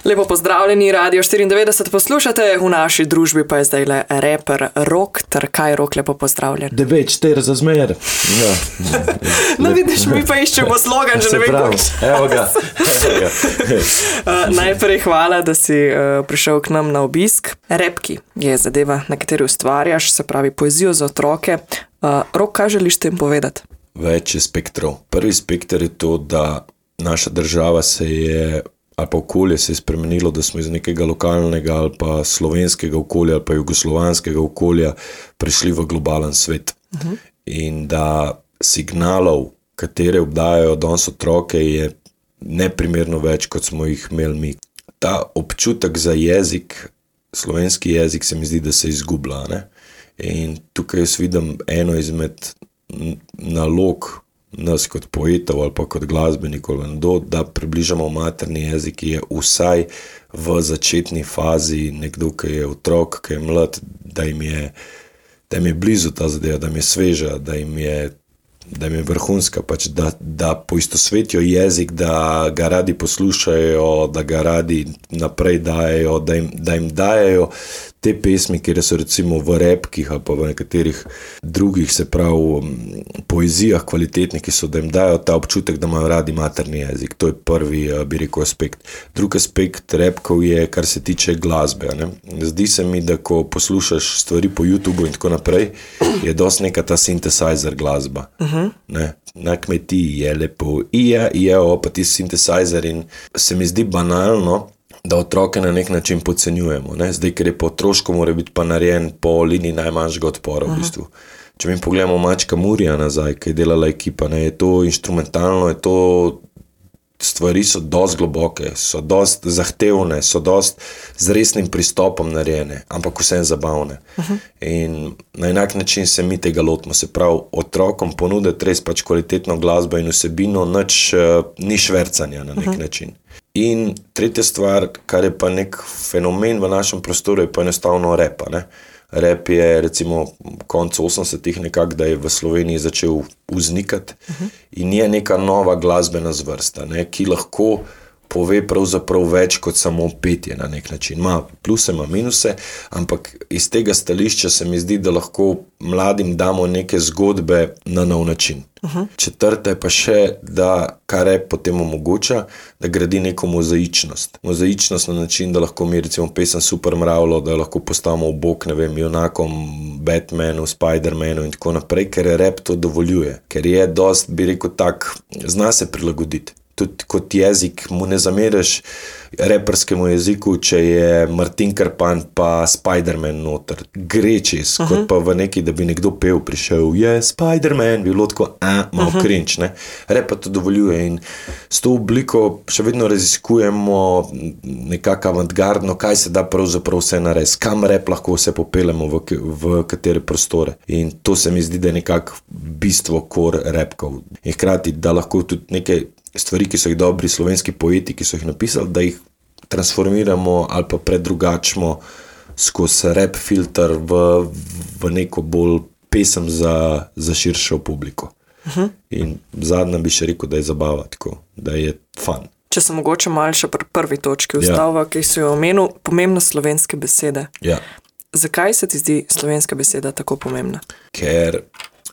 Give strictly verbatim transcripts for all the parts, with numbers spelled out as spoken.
Lepo pozdravljeni, Radio štiriindevetdeset poslušate, v naši družbi pa je zdaj le reper Rok, ter kaj Rok, lepo pozdravljen. Devet, štiri za zmer. Ja. No vidiš, mi pa iščemo slogan, že ne vem kako. Evo ga. uh, najprej hvala, da si uh, prišel k nam na obisk. Repki je zadeva, na kateri ustvarjaš, se pravi poezijo za otroke. Uh, Rok, kaj želiš tem povedati? Več je spektrov. Prvi spektr je to, da naša država se je ali pa okolje se je spremenilo, da smo iz nekega lokalnega ali pa slovenskega okolja ali pa jugoslovanskega okolja prišli v globalen svet. Uh-huh. In da signalov, katere obdajajo danes otroke, je neprimerno več, kot smo jih imeli mi. Ta občutek za jezik, slovenski jezik, se mi zdi, da se izgublja. Ne? In tukaj jaz vidim eno izmed nalog nas kot poetov ali pa kot glasbenikov, da približamo materni jezik, ki je vsaj v začetni fazi nekdo, ki je otrok, ki je mlad, da jim je, da jim je blizu ta zadeva, da jim je sveža, da jim je, da jim je vrhunska, pač, da, da poistosvetijo jezik, da ga radi poslušajo, da ga radi naprej dajejo, da jim, da jim dajejo te pesmi, kjer so recimo v repkih ali pa v nekaterih drugih, se pravi, poezijah kvalitetnih, ki so, da jim dajo ta občutek, da imajo radi materni jezik. To je prvi, bi rekel, aspekt. Drugi aspekt repkov je, kar se tiče glasbe. Ne? Zdi se mi, da ko poslušaš stvari po YouTubeu in tako naprej, je dosti neka ta synthesizer glasba. Uh-huh. Ne? Na kmetiji je lepo, ija, ija, pa ti synthesizer, in se mi zdi banalno, da otroke na nek način podcenjujemo. Ne? Zdaj, ker je po otroško, mora biti pa narejen po liniji najmanjšega odpora. Uh-huh. V bistvu. Če mi pogledamo Mačka Murija nazaj, ki je delala ekipa, ne? Je to inštrumentalno, je to, stvari so dosti globoke, so dosti zahtevne, so dosti z resnim pristopom narejene, ampak vsem zabavne. Uh-huh. In na enak način se mi tega lotimo, se pravi, otrokom ponuditi res pač kvalitetno glasbo in vsebino, nič uh, ni švercanja na nek uh-huh. način. In tretja stvar, kar je pa nek fenomen v našem prostoru, je pa enostavno repa. Ne? Rep je recimo konec osemdesetih nekako, da je v Sloveniji začel vznikati uh-huh. in je neka nova glasbena zvrsta, ne? Ki lahko pove pravzaprav več kot samo petje na nek način. Ma pluse, ma minuse, ampak iz tega stališča se mi zdi, da lahko mladim damo neke zgodbe na nov način. Uh-huh. Četrta je pa še, da kar rep potem omogoča, da gradi neko mozaičnost. Mozaičnost na način, da lahko mi recimo pesem Super Mravljo, da lahko postavimo v bok, ne vem, junakom, Batmanu, Spidermanu in tako naprej, ker rep to dovoljuje. Ker je dost, bi rekel tak, zna se prilagoditi. Tudi kot jezik mu ne zameriš reperskemu jeziku, če je Martin Krpan pa Spiderman noter. Gre čez, uh-huh. kot pa v neki, da bi nekdo pel, prišel, je Spiderman, bi bilo tako, a, malo uh-huh. cringe, ne. Rep pa to dovoljuje in s to obliko še vedno raziskujemo nekako avantgardno, kaj se da pravzaprav vse narediti, kam rep lahko vse popeljemo, v, v katere prostore. In to se mi zdi, da je nekako bistvo kor repkov. In hkrati, da lahko tudi nekaj stvari, ki so jih dobri slovenski poeti, ki so jih napisali, da jih transformiramo ali pa predrugačimo skozi rap filter v, v neko bolj pesem za, za širšo publiko. Uh-huh. In zadnja bi še rekel, da je zabava tako, da je fun. Če se mogoče malo še pri prvi točki ustavlja, ja. Ki so jo omenil, pomembnost slovenske besede. Ja. Zakaj se ti zdi slovenska beseda tako pomembna? Ker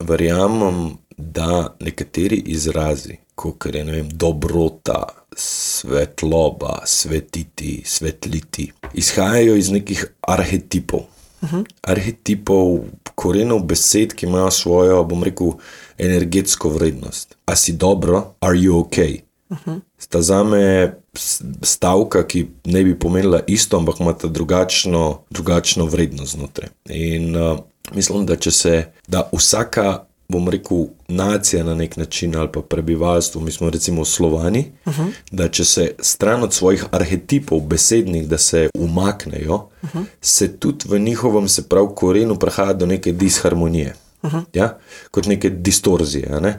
verjamem, da nekateri izrazi, kot je, ne vem, dobrota, svetloba, svetiti, svetliti, izhajajo iz nekih arhetipov. Uh-huh. Arhetipov, korenov besed, ki imajo svojo, bom rekel, energetsko vrednost. A si dobro? Are you okay? Uh-huh. Sta zame stavka, ki ne bi pomenila isto, ampak imata drugačno, drugačno vrednost znotraj. In uh, mislim, da če se, da vsaka, bom rekel, nacija na nek način ali pa prebivalstvo, mi smo recimo Slovani, uh-huh. da če se stran od svojih arhetipov besednih, da se umaknejo, uh-huh. se tudi v njihovem, se prav korenu, prihaja do neke disharmonije. Uh-huh. Ja? Kot neke distorzije. Ne?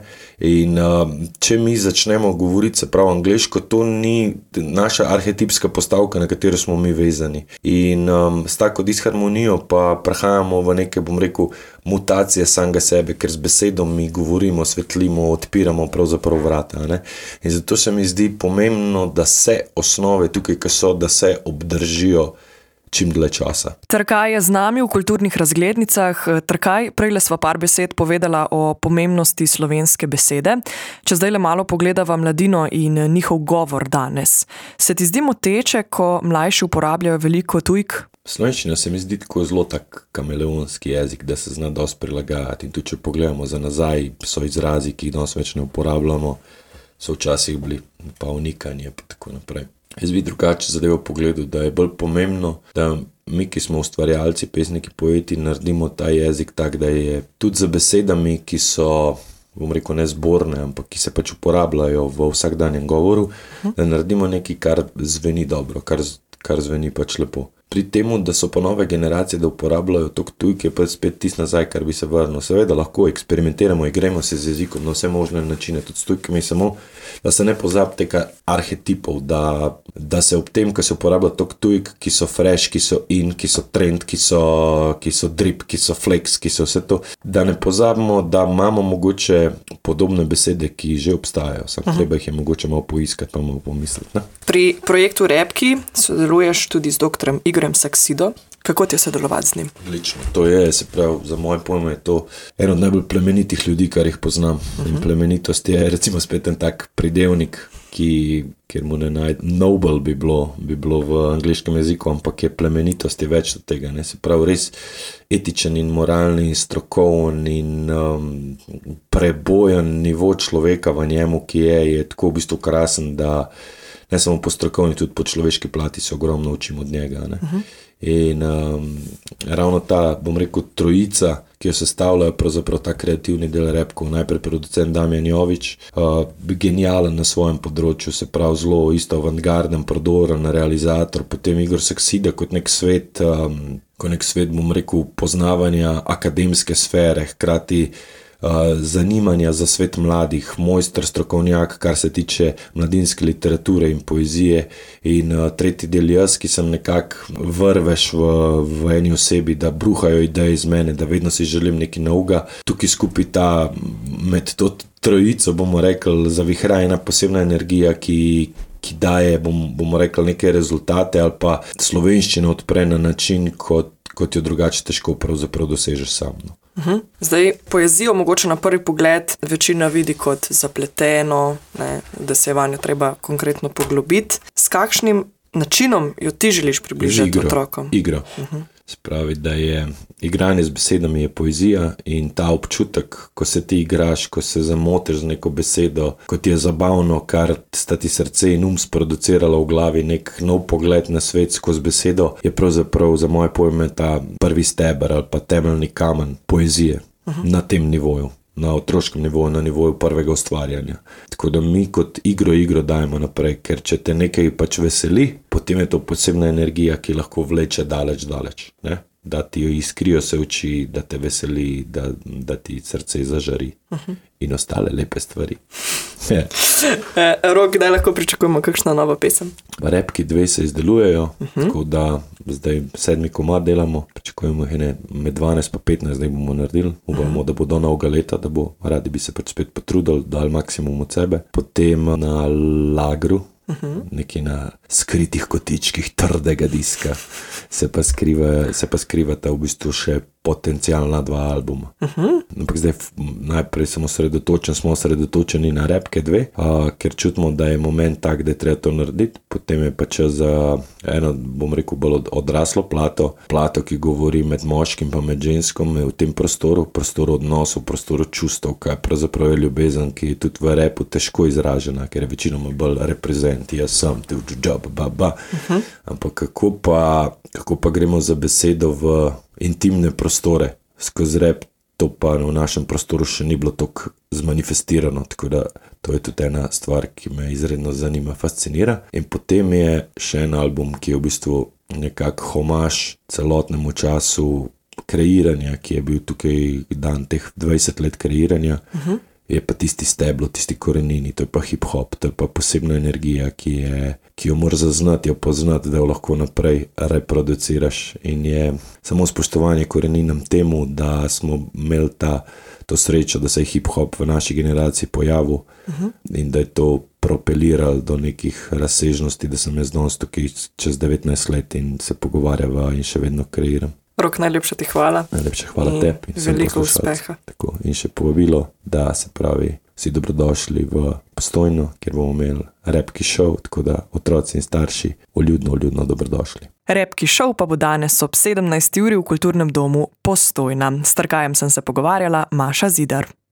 In uh, če mi začnemo govoriti, se pravi angleško, to ni naša arhetipska postavka, na katero smo mi vezani. In um, s tako disharmonijo pa prehajamo v neke, bom rekel, mutacije samega sebe, ker z besedom mi govorimo, svetlimo, odpiramo pravzaprav vrata. Ne? In zato se mi zdi pomembno, da se osnove tukaj, ki so, da se obdržijo čim dlje časa. Trkaj je z nami v kulturnih razglednicah. Trkaj, prejle sva par besed povedala o pomembnosti slovenske besede. Če zdaj le malo pogledava mladino in njihov govor danes. Se ti zdi moteče, ko mlajši uporabljajo veliko tujk? Slovenščina se mi zdi tako zelo tak kameleonski jezik, da se zna dosti prilagajati. In tudi, če pogledamo za nazaj, so izrazi, ki jih danes več ne uporabljamo, so včasih bili pa unikanje in tako naprej. Jaz bi drugače zadevo pogledal, da je bolj pomembno, da mi, ki smo ustvarjalci, pesniki, poeti, naredimo ta jezik tak, da je tudi za besedami, ki so, bom rekel, ne zborne, ampak ki se pač uporabljajo v vsakdanjem govoru, da naredimo nekaj, kar zveni dobro, kar, kar zveni pač lepo. Pri temu, da so pa nove generacije, da uporabljajo tok tujk, je pa spet tist nazaj, kar bi se vrnil. Seveda lahko eksperimentiramo, igramo se z jezikom na vse možne načine, tudi s tujkami, samo da se ne pozabi tega arhetipov, da, da se ob tem, ko se uporablja tok tujk, ki so fresh, ki so in, ki so trend, ki so, ki so drip, ki so flex, ki so vse to, da ne pozabimo, da imamo mogoče podobne besede, ki že obstajajo. Samo treba jih je mogoče malo poiskati, pa malo pomisliti. Ne? Pri projektu Repki sodeluješ tudi z doktorem Igorjem Saksido. Kako ti je sodelovati z njim? Odlično. To je, se pravi, za moje pojme je to eno od najbolj plemenitih ljudi, kar jih poznam. Uh-huh. In plemenitost je recimo spet en tak pridevnik, ki, kjer mu ne najde, noble bi bilo, bi bilo v angleškem jeziku, ampak je plemenitost je več od tega. Ne? Se pravi, res etičen in moralni in strokoven in um, prebojen nivo človeka v njemu, ki je, je tako v bistvu krasen, da ne samo po strokovni, tudi po človeški plati se ogromno učim od njega. Ne? Uh-huh. In um, ravno ta, bom rekel, trojica, ki jo sestavljajo pravzaprav ta kreativni del repkov, najprej producent Damjan Jovič, uh, genijalen na svojem področju, se pravi zelo isto avantgarden, prodoren realizator, potem Igor Saksida kot nek svet, um, kot nek svet, bom rekel, poznavanja akademske sfere, hkrati Uh, zanimanja za svet mladih, mojster, strokovnjak, kar se tiče mladinske literature in poezije in uh, tretji del jaz, ki sem nekako vrveš v, v eni osebi, da bruhajo ideje iz mene, da vedno si želim nekaj novega. Tukaj skupaj ta, med to trojico, bomo rekli, zavihra ena posebna energija, ki ki daje, bom, bomo rekli, neke rezultate ali pa slovenščino odpre na način, kot, kot jo drugače težko pravzaprav dosežeš sam. No. Uhum. Zdaj, poezijo mogoče na prvi pogled večina vidi kot zapleteno, ne, da se je vanjo treba konkretno poglobiti. S kakšnim načinom jo ti želiš približati igro, otrokom? Igra. Uhum. Spravi, da je igranje z besedami je poezija in ta občutek, ko se ti igraš, ko se zamotiš z neko besedo, ko ti je zabavno, kar sta ti srce in um sproduciralo v glavi nek nov pogled na svet skozi besedo, je pravzaprav za moje pojme ta prvi steber ali pa temeljni kamen poezije uh-huh. na tem nivoju. Na otroškem nivoju, na nivoju prvega ustvarjanja. Tako da mi kot igro igro dajemo naprej, ker če te nekaj pač veseli, potem je to posebna energija, ki lahko vleče daleč, daleč. Ne? Da ti iskrijo se oči, da te veseli, da, da ti srce zažari uh-huh. in ostale lepe stvari. e, Rok, kdaj lahko pričakujemo kakšna nova pesem? Repki dve se izdelujejo, uh-huh. tako da zdaj sedmi komad delamo, pričakujemo ene med dvanajst pa petnajst, zdaj bomo naredili, upamo, uh-huh. da bo do novega leta, da bo, radi bi se pač spet potrudili, dali maksimum od sebe. Potem na lagru, uh-huh. nekaj na skritih kotičkih trdega diska, se pa skriva, se pa skrivata v bistvu še potencialna dva albuma. Uh-huh. Ampak zdaj najprej sem osredotočen, smo osredotočeni na Repke dve, a, ker čutimo, da je moment tak, da je treba to narediti. Potem je pa čas za eno, bom rekel, bolj odraslo plato, plato, ki govori med moškim pa med ženskom v tem prostoru, prostoru odnosov, prostoru čustev, kaj pravzaprav je ljubezen, ki je tudi v repu težko izražena, ker je večinoma bolj reprezent, jaz sem, tu, džab, ba, ba. Uh-huh. Ampak kako pa, kako pa gremo za besedo v intimne prostore skozi rep, to pa v našem prostoru še ni bilo toliko zmanifestirano, tako da to je tudi ena stvar, ki me izredno zanima, fascinira. In potem je še en album, ki je v bistvu nekak homaž celotnemu času kreiranja, ki je bil tukaj dan teh dvajset let kreiranja, uh-huh. je pa tisti steblo, tisti korenini, to je pa hip-hop, to je pa posebna energija, ki, je, ki jo moraš zaznati, jo poznati, da jo lahko naprej reproduciraš in je samo spoštovanje koreninam temu, da smo imeli ta, to srečo, da se je hip-hop v naši generaciji pojavil uh-huh. in da je to propeliral do nekih razsežnosti, da sem jaz danes tukaj čez devetnajst let in se pogovarjava in še vedno kreiram. Rok, najlepša ti hvala. Najlepša hvala in tebi. Veliko uspeha. Tako, in še povabilo, da se pravi, vsi dobrodošli v Postojno, kjer bomo imeli repki šov, tako da otroci in starši vljudno, vljudno dobrodošli. Repki šov pa bo danes ob sedemnajsti uri v Kulturnem domu Postojna. S Trkajem sem se pogovarjala, Maša Zidar.